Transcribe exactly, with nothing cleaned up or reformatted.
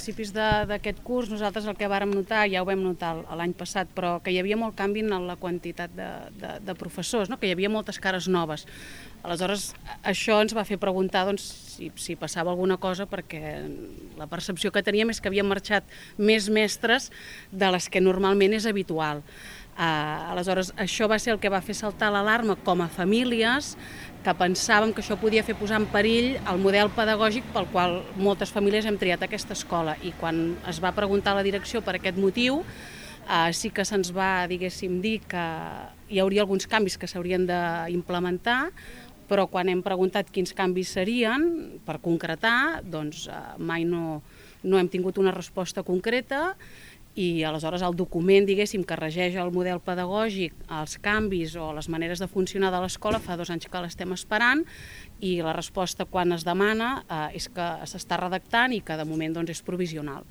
principis d'aquest curs nosaltres el que vàrem notar, ja ho vam notar l'any passat, però que hi havia molt canvi en la quantitat de, de, de professors, no? Que hi havia moltes cares noves. Aleshores, això ens va fer preguntar doncs, si, si passava alguna cosa, perquè la percepció que teníem és que havien marxat més mestres de les que normalment és habitual. Uh, aleshores, això va ser el que va fer saltar l'alarma com a famílies, que pensàvem que això podia fer posar en perill el model pedagògic pel qual moltes famílies hem triat aquesta escola. I quan es va preguntar a la direcció per aquest motiu, eh, sí que se'ns va, diguéssim, dir que hi hauria alguns canvis que s'haurien d'implementar, però quan hem preguntat quins canvis serien, per concretar, doncs eh, mai no, no hem tingut una resposta concreta. I aleshores el document, diguéssim, que regeix el model pedagògic, els canvis o les maneres de funcionar de l'escola, fa dos anys que l'estem esperant i la resposta quan es demana eh, és que s'està redactant i que de moment doncs, és provisional.